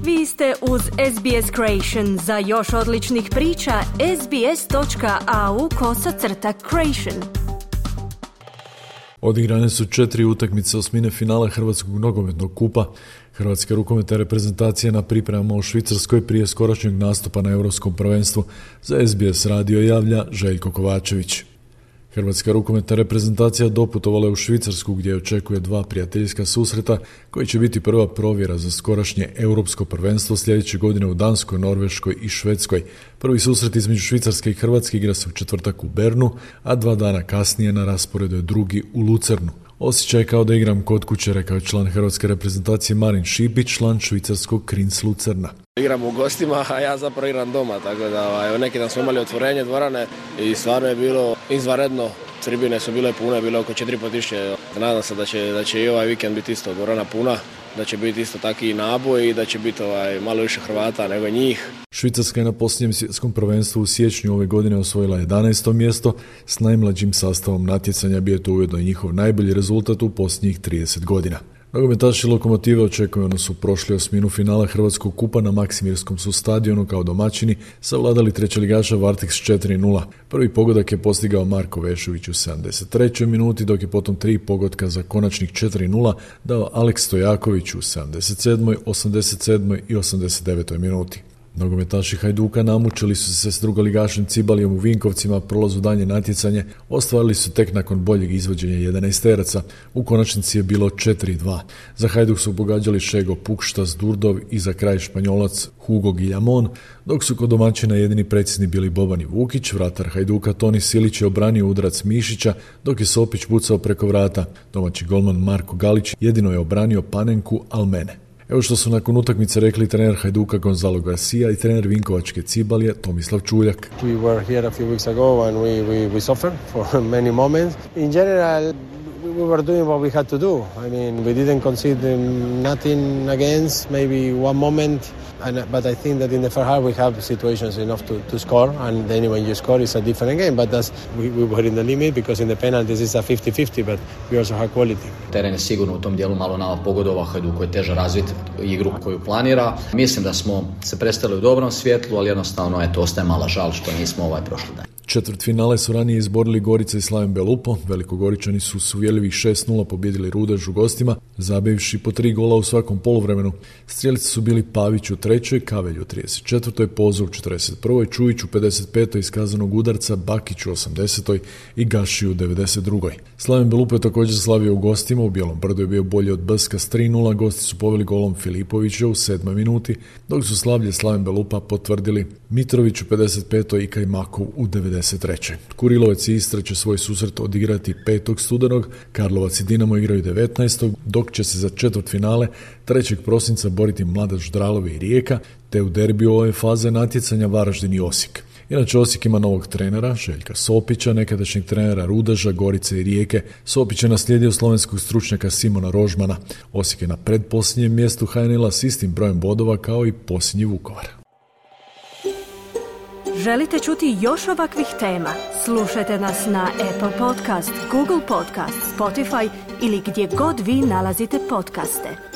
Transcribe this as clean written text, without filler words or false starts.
Vi ste uz SBS Creation. Za još odličnih priča, sbs.au/creation. Odigrane su 4 utakmice osmine finala Hrvatskog nogometnog kupa. Hrvatska rukometna reprezentacija na pripremama u Švicarskoj prije skorašnjeg nastupa na Europskom prvenstvu. Za SBS radio javlja Željko Kovačević. Hrvatska rukometna reprezentacija doputovala je u Švicarsku gdje očekuje 2 prijateljska susreta koji će biti prva provjera za skorašnje Europsko prvenstvo sljedeće godine u Danskoj, Norveškoj i Švedskoj. Prvi susret između Švicarske i Hrvatske igra se u četvrtak u Bernu, a 2 dana kasnije na rasporedu je drugi u Lucernu. Osjećaj kao da igram kod kuće, rekao je član hrvatske reprezentacije Marin Šipić, član švicarskog Kriens Lucerna. Igram u gostima, a ja zapravo igram doma, tako da neki dan smo imali otvorenje dvorane i stvarno je bilo izvanredno. Tribine su bile pune, bilo oko 4.500. Nadam se da će i ovaj vikend biti isto dvorana puna, da će biti isto taki i naboj i da će biti malo više Hrvata nego njih. Švicarska je na posljednjem svjetskom prvenstvu u siječnju ove godine osvojila 11. mjesto. S najmlađim sastavom natjecanja bio je to ujedno i njihov najbolji rezultat u posljednjih 30 godina. Nogometaši Lokomotive očekujeno su prošli osminu finala Hrvatskog kupa na Maksimirskom su stadionu kao domaćini savladali trećeligaša Varteks 4-0. Prvi pogodak je postigao Marko Vešović u 73. minuti, dok je potom 3 pogotka za konačnih 4-0 dao Aleks Stojaković u 77., 87. i 89. minuti. Nogometaši Hajduka namučili su se s drugoligašem Cibalijom u Vinkovcima, prolazu dalje natjecanje ostvarili su tek nakon boljeg izvođenja 11-teraca. U konačnici je bilo 4-2. Za Hajduk su pogađali Šego Pukštas, Durdov i za kraj Španjolac Hugo Guillamon, dok su kod domaćina jedini precizni bili Boban i Vukić. Vratar Hajduka Toni Silić je obranio udarac Mišića, dok je Sopić pucao preko vrata. Domaći golman Marko Galić jedino je obranio Panenku Almene. Evo što su nakon utakmice rekli trener Hajduka Gonzalo Garcia i trener Vinkovačke Cibalije Tomislav Čuljak. We were here a few weeks ago and we suffered for many moments. In general, we were doing what we had to do. I mean, we didn't concede nothing against, maybe one moment, but I think that in the first half we have situations enough to score, and then when you score it's a different game, but we were in the limit because in the penalties it's a 50-50, but we also have quality. Teren je sigurno u tom dijelu malo nama pogodovao, Hajduku je teže razviti igru koju planira. Mislim da smo se predstavili u dobrom svjetlu, ali jednostavno ostaje mala žal što nismo prošli dan. Četvrtfinale su ranije izborili Gorica i Slaven Belupo. Velikogoričani su s uvjerljivih 6-0 pobjedili Rudež u gostima, zabivši po 3 gola u svakom poluvremenu. Strijelici su bili Pavić u 3., Kavelj u 34., Pozo u 41., Čujić u 55. iz kazanog udarca, Bakić u 80. i Gaši u 92. Slaven Belupo je također slavio u gostima, u Bijelom Brdu je bio bolji od Brska s 3-0, gosti su poveli golom Filipovića u 7. minuti, dok su slavlje Slaven Belupa potvrdili Mitrović u 55. i Kajmakov u 93. Kurilovac i Istra će svoj susret odigrati 5. studenog, Karlovac i Dinamo igraju 19. dok će se za četvrtfinale 3. prosinca boriti Mladost Dralovi i Rijeka, te u derbiju ove faze natjecanja Varaždin i Osijek. Inače, Osijek ima novog trenera, Željka Sopića, nekadašnjeg trenera Rudeža, Gorice i Rijeke. Sopić je naslijedio slovenskog stručnjaka Simona Rožmana. Osijek je na predposljednjem mjestu HNL-a s istim brojem bodova kao i posljednji Vukovar. Želite čuti još ovakvih tema? Slušajte nas na Apple Podcast, Google Podcast, Spotify ili gdje god vi nalazite podcaste.